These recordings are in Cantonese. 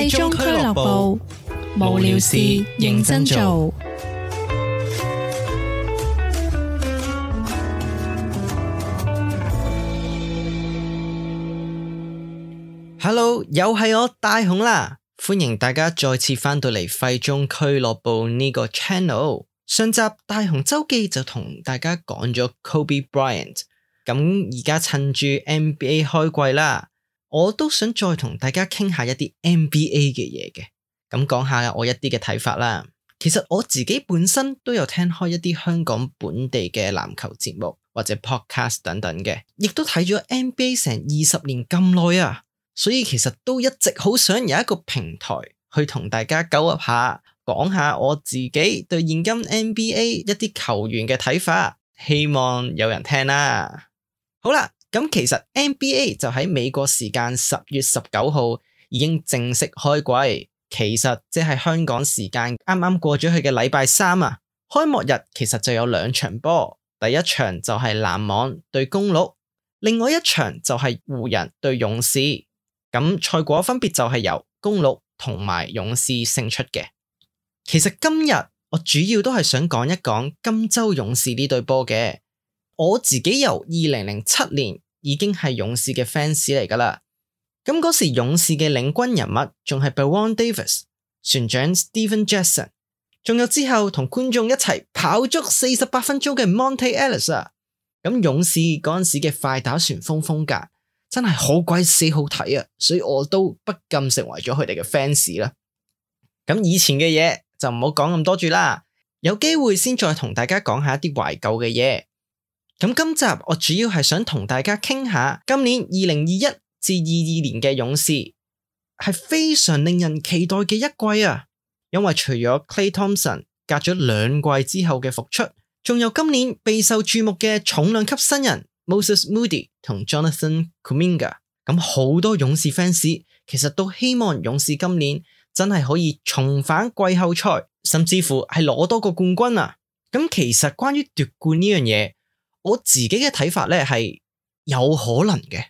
廢中俱樂部，無聊事認真做。Hello， 又係我大雄啦，歡迎大家再次翻到嚟廢中俱樂部呢個 channel。上集大雄周記就同大家講咗 Kobe Bryant， 咁而家趁住 NBA 開季啦，我都想再同大家傾下一啲 NBA 嘅嘢嘅，咁講下我一啲嘅睇法啦。其實我自己本身都有聽開一啲香港本地嘅籃球節目或者 podcast 等等嘅，亦都睇咗 NBA 成20年咁耐啊，所以其實都一直好想有一個平台去同大家交流下，講下我自己對現今 NBA 一啲球員嘅睇法，希望有人聽啦。好啦，咁其實 NBA 就喺美國時間10月19號已經正式開季，其實即係香港時間啱啱過咗去嘅禮拜三啊。開幕日其實就有2場波，第一場就係籃網對公鹿，另外一場就係湖人對勇士。咁賽果分別就係由公鹿同埋勇士勝出嘅。其實今日我主要都係想講一講金州勇士呢隊波嘅。我自己由2007年已經係勇士嘅 fans 嚟噶啦。咁嗰時勇士嘅領軍人物仲係 Baron Davis、船長 Stephen Jackson， 仲有之後同觀眾一齊跑足48分鐘嘅 Monte Ellis 啊。咁勇士嗰陣時嘅快打旋風風格真係好鬼死好睇啊，所以我都不禁成為咗佢哋嘅 fans 啦。咁以前嘅嘢就唔好講咁多住啦，有機會先再同大家講下一啲懷舊嘅嘢。咁今集我主要係想同大家傾下今年2021至22年嘅勇士係非常令人期待嘅一季啊，因為除咗 Klay Thompson 隔咗2季之後嘅復出，仲有今年備受注目嘅重量級新人 Moses Moody 同 Jonathan Kuminga。 咁好多勇士 fans 其實都希望勇士今年真係可以重返季後賽，甚至乎係攞多個冠軍啊。咁其實關於奪冠呢樣嘢，我自己嘅睇法咧係有可能嘅。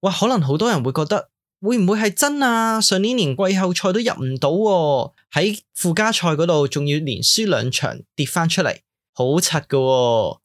哇，可能好多人會覺得會唔會係真啊？上年連季後賽都入唔到喎，喺附加賽嗰度仲要連輸2場跌翻出嚟，好柒噶喎。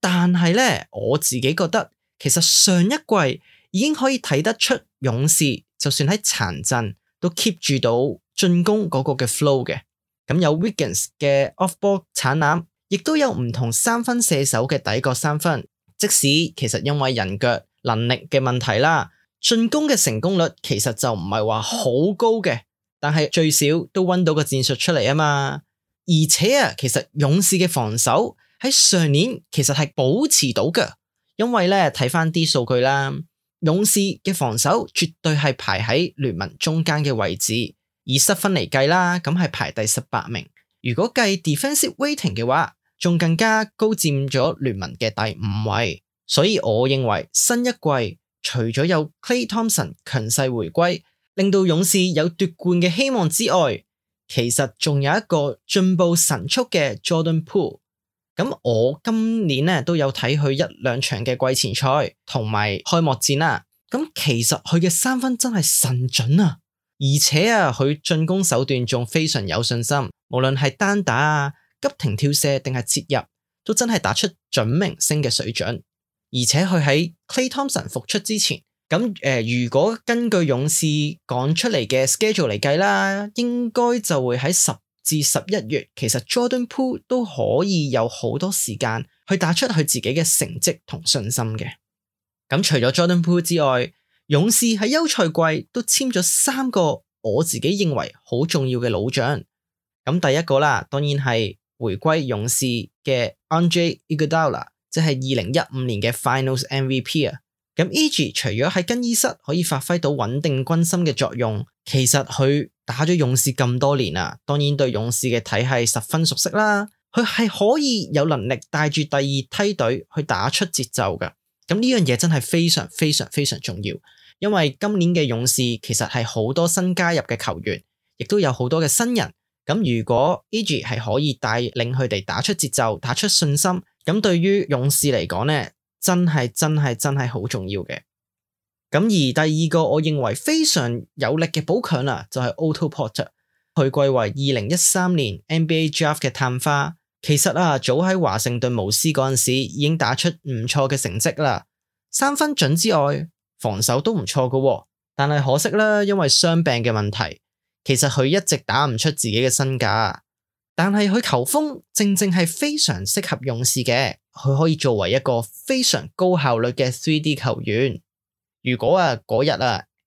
但係咧，我自己覺得其實上一季已經可以睇得出勇士就算喺殘陣都 keep 住到進攻嗰個嘅 flow 嘅。咁有 Wiggins 嘅 off ball 鏟籃，亦都有唔同3分射手嘅底角3分。即使其實因為人腳能力嘅問題啦，進攻嘅成功率其實就唔係話好高嘅，但係最少都搵到個戰術出嚟啊嘛。而且啊，其實勇士嘅防守喺上年其實係保持到嘅，因為咧睇翻啲數據啦，勇士嘅防守絕對係排喺聯盟中間嘅位置，以失分嚟計啦，咁係排第18名。如果計 defensive rating 嘅話，仲更加高佔咗聯盟嘅第5位。所以我認為新一季除咗有 Klay Thompson 強勢回歸，令到勇士有奪冠嘅希望之外，其實仲有一個進步神速嘅 Jordan Poole。咁我今年咧都有睇佢1-2場嘅季前賽同埋開幕戰啦。咁其實佢嘅3分真係神準啊，而且啊佢進攻手段仲非常有信心，無論係單打啊、急停跳射定係切入，都真係打出準明星嘅水準。而且佢喺 Klay Thompson 復出之前，咁如果根據勇士講出嚟嘅 schedule 嚟計啦，應該就會喺10至11月，其實 Jordan Poole 都可以有好多時間去打出佢自己嘅成績同信心嘅。咁除咗 Jordan Poole 之外，勇士喺休賽季都簽咗3個我自己認為好重要嘅老將。咁第一個啦，當然係回歸勇士嘅 Andre Iguodala，即係2015年嘅 Finals MVP 啊。咁 EG 除咗喺更衣室可以發揮到穩定軍心嘅作用，其實佢打咗勇士咁多年啊，當然對勇士嘅體系十分熟悉啦。佢係可以有能力帶住第2梯隊去打出節奏㗎。咁呢樣嘢真係非常非常非常重要，因為今年嘅勇士其實係好多新加入嘅球員，亦都有好多嘅新人。咁如果 EG 係可以帶領佢哋打出節奏、打出信心，咁對於勇士嚟講呢，真係好重要嘅。咁而第二個我認為非常有力嘅補強啦，就係 Otto Porter， 佢貴為2013年 NBA Draft 嘅探花。其實早喺華盛頓巫師嗰陣時已經打出唔錯嘅成績啦，三分準之外，防守都唔錯㗎。但係可惜啦，因為傷病嘅問題，其實佢一直打唔出自己嘅身價。但係佢球風正正係非常適合勇士嘅，佢可以作為一個非常高效率嘅 3D 球員。如果嗰日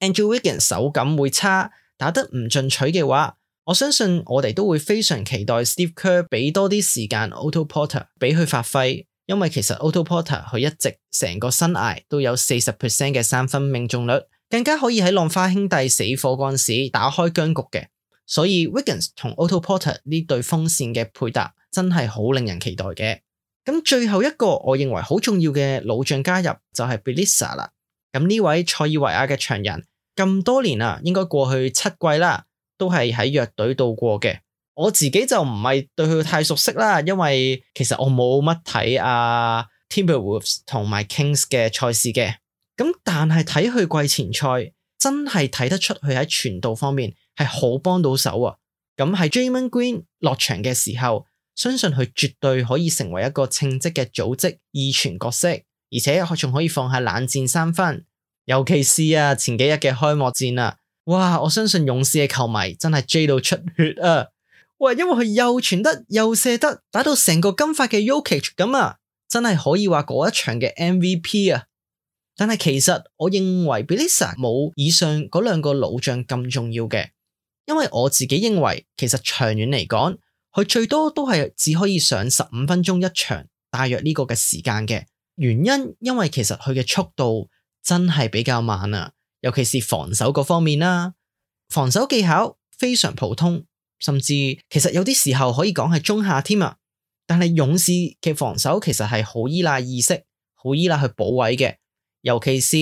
Andrew Wiggins 手感會差，打得唔進取嘅話，我相信我哋都會非常期待 Steve Kerr 俾多啲時間 Otto Porter 俾佢發揮，因為其實 Otto Porter 佢一直成個生涯都有 40% 嘅三分命中率，更加可以喺浪花兄弟死火嗰陣時打開僵局嘅，所以 Wiggins 同 Otto Porter 呢對鋒線嘅配搭真係好令人期待嘅。咁最後一個我認為好重要嘅老將加入就係 Bjelica 啦。咁呢位塞爾維亞嘅長人咁多年應該過去7季啦，都係喺弱隊度過嘅。我自己就唔係對佢太熟悉啦，因為其實我冇乜睇Timberwolves 同埋 Kings 嘅賽事嘅。咁但係睇佢季前賽，真係睇得出佢喺傳導方面係好幫到手啊。咁喺 Draymond Green 落場嘅時候，相信佢絕對可以成為一個稱職嘅組織二傳角色，而且仲可以放下冷戰三分。尤其是前幾日嘅開幕戰哇！我相信勇士嘅球迷真係追到出血啊！哇，因為佢又傳得又射得，打到成個金髮嘅 Jokic 咁真係可以話嗰一場嘅 MVP 但係其實我認為 Bjelica 冇以上嗰兩個老將咁重要嘅，因為我自己認為其實長遠嚟講，佢最多都係只可以上15分鐘一場，大約呢個嘅時間嘅。原因為其實佢嘅速度真係比較慢尤其是防守嗰方面防守技巧非常普通，甚至其實有啲時候可以講係中下添但係勇士嘅防守其實係好依賴意識，好依賴去補位嘅，尤其是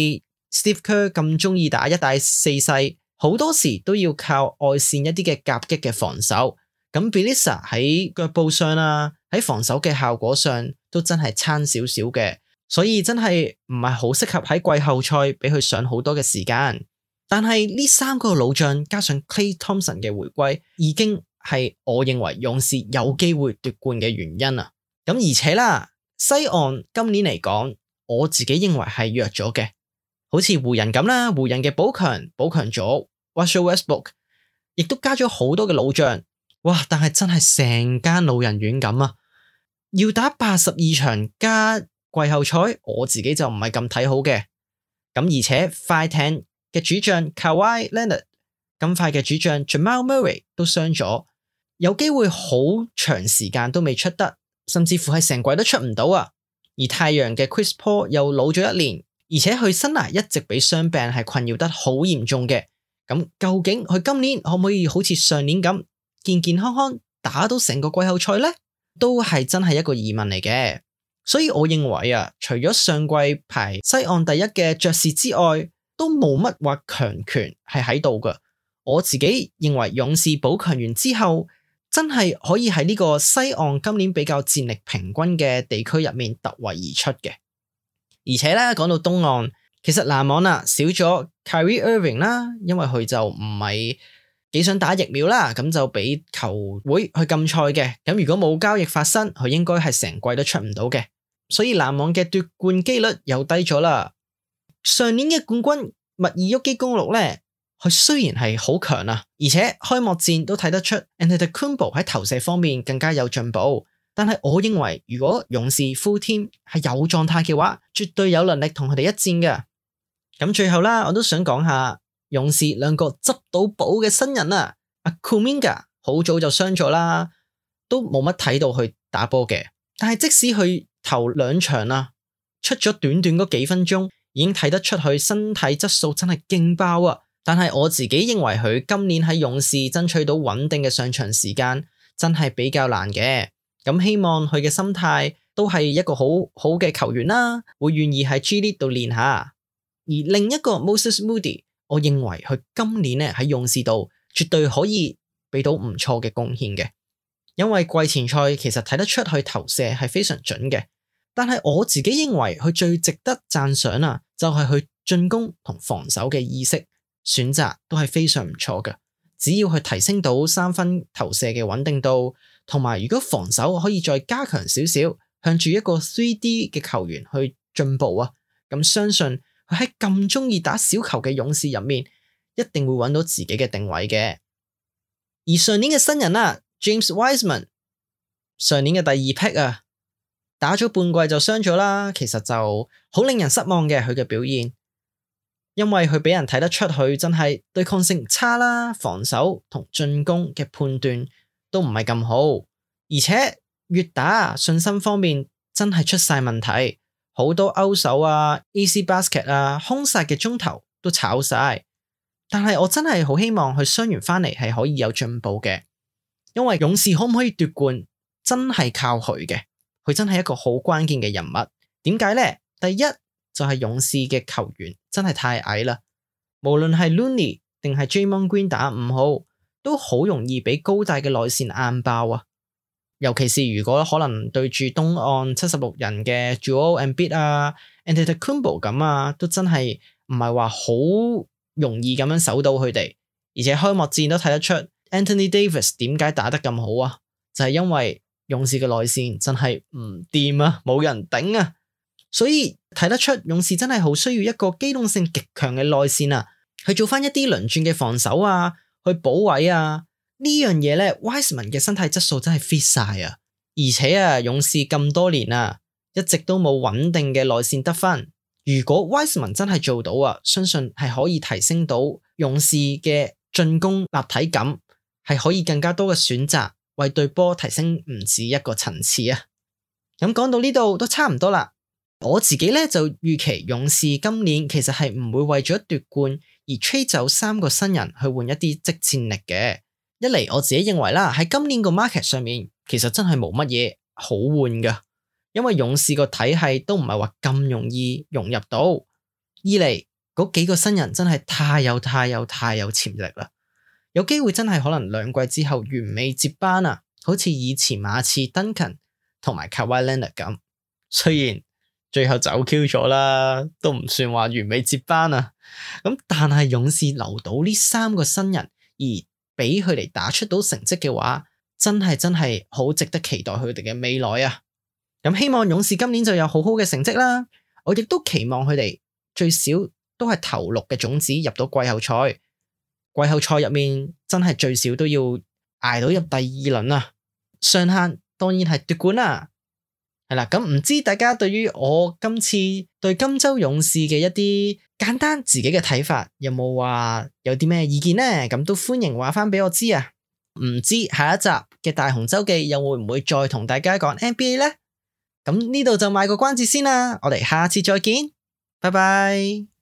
Steve Kerr 咁中意打一大四細，好多時都要靠外線一啲嘅夾擊嘅防守。咁 Bjelica 喺腳步上喺防守嘅效果上都真係差少少嘅。所以真係唔係好適合喺季後賽俾佢上好多嘅時間，但係呢3個老將加上 Klay Thompson 嘅回歸，已經係我認為勇士有機會奪冠嘅原因咁而且西岸今年嚟講，我自己認為係弱咗嘅，好似湖人咁啦，湖人嘅補強咗 Russell Westbrook， 亦都加咗好多嘅老將，哇！但係真係成間老人院咁要打82場加季後賽，我自己就唔係咁睇好嘅。咁而且快艇嘅主將 Kawhi Leonard， 咁快嘅主將 Jamal Murray 都傷咗，有機會好長時間都未出得，甚至乎係成季都出唔到而太陽嘅 Chris Paul 又老咗1年，而且佢生涯一直俾傷病係困擾得好嚴重嘅。咁究竟佢今年可唔可以好似上年咁健健康康打到成個季後賽呢？都係真係一個疑問嚟嘅。所以我認為除咗上季排西岸第一嘅爵士之外，都冇乜話強權係喺度嘅。我自己認為勇士補強完之後，真係可以喺呢個西岸今年比較戰力平均嘅地區入面突圍而出嘅。而且講到東岸，其實籃網少咗 Kyrie Irving 啦，因為佢就唔係幾想打疫苗啦，咁就俾球會去禁賽嘅。咁如果冇交易發生，佢應該係成季都出唔到嘅。所以籃網嘅奪冠機率又低咗啦。上年嘅冠軍密爾沃基公鹿呢，佢雖然係好強而且開幕戰都睇得出 Antetokounmpo 喺投射方面更加有進步。但係我認為如果勇士 full team 係有狀態嘅話，絕對有能力同佢哋一戰嘅。咁最後我都想講下勇士兩個執到寶嘅新人阿 Kuminga 好早就傷咗啦，都冇乜睇到佢打波嘅。但係即使佢頭2場出咗短短嗰幾分鐘，已經睇得出佢身體質素真係勁爆但係我自己認為佢今年喺勇士爭取到穩定嘅上場時間真係比較難嘅。咁希望佢嘅心態都係一個好好嘅球員啦，會願意喺 G League 度練下。而另一個 Moses Moody， 我認為佢今年喺勇士度絕對可以俾到唔錯嘅貢獻嘅，因為季前賽其實睇得出佢投射係非常準嘅。但係我自己認為佢最值得讚賞就係佢進攻同防守嘅意識，選擇都係非常唔錯嘅。只要去提升到3分投射嘅穩定度，同埋如果防守可以再加強少少，向住一個 3D 嘅球員去進步啊，咁相信佢喺咁中意打小球嘅勇士入面，一定會揾到自己嘅定位嘅。而上年嘅新人啊 James Wiseman， 上年嘅第2 pick 啊，打咗半季就傷咗啦，其實就好令人失望嘅佢嘅表現，因為佢俾人睇得出佢真係對抗性差啦，防守同進攻嘅判斷都唔係咁好，而且越打信心方面真係出晒問題，好多勾手啊 easy basket 啊空殺嘅中投都炒晒。但係我真係好希望佢傷完翻嚟係可以有進步嘅，因為勇士可唔可以奪冠真係靠佢嘅，佢真係一個好關鍵嘅人物。點解呢？第一就係勇士嘅球員真係太矮啦，無論係 Looney 定係 Draymond Green 打5號都好容易俾高大嘅內線硬爆啊，尤其是如果可能對住東岸76人嘅 Joel Embiid 啊 Antetokounmpo 咁啊，都真係唔係話好容易咁樣守到佢哋。而且開幕戰都睇得出 Anthony Davis 點解打得咁好啊，就係因為勇士嘅內線真係唔掂啊，冇人頂啊，所以睇得出勇士真係好需要一個機動性極強嘅內線啊，去做翻一啲輪轉嘅防守啊，去補位啊。呢樣嘢咧 Wiseman 嘅身體質素真係 fit 晒啊，而且啊勇士咁多年啊一直都冇穩定嘅內線得分，如果 Wiseman 真係做到啊，相信係可以提升到勇士嘅進攻立體感，係可以更加多嘅選擇，為隊波提升唔止一個層次啊。咁講到呢度都差唔多啦，我自己咧就預期勇士今年其實係唔會為咗奪冠而 trade 走3個新人去換一啲即戰力嘅。一嚟我自己認為啦，喺今年個 market 上面其實真係冇乜嘢好換噶，因為勇士個體系都唔係話咁容易融入到。二嚟嗰幾個新人真係太有潛力啦，有機會真係可能2季之後完美接班啊，好似以前馬刺 Duncan 同埋 Kawhi Leonard 咁。雖然最後走 Q 咗啦，都唔算話完美接班啊。咁但係勇士留到呢3個新人而俾佢哋打出到成績嘅話，真係好值得期待佢哋嘅未來啊！咁希望勇士今年就有好好嘅成績啦。我亦都期望佢哋最少都係頭6嘅種子入到季後賽。季後賽入面真係最少都要捱到入第2輪啊！上限當然係奪冠啦。係啦，咁唔知大家對於我今次對金州勇士嘅一啲簡單自己嘅睇法，有冇話有啲咩意見呢？咁都歡迎話翻俾我知啊！唔知下一集嘅大雄周記又會唔會再同大家講 NBA 呢？咁呢度就賣個關子先啦，我哋下次再見，拜拜。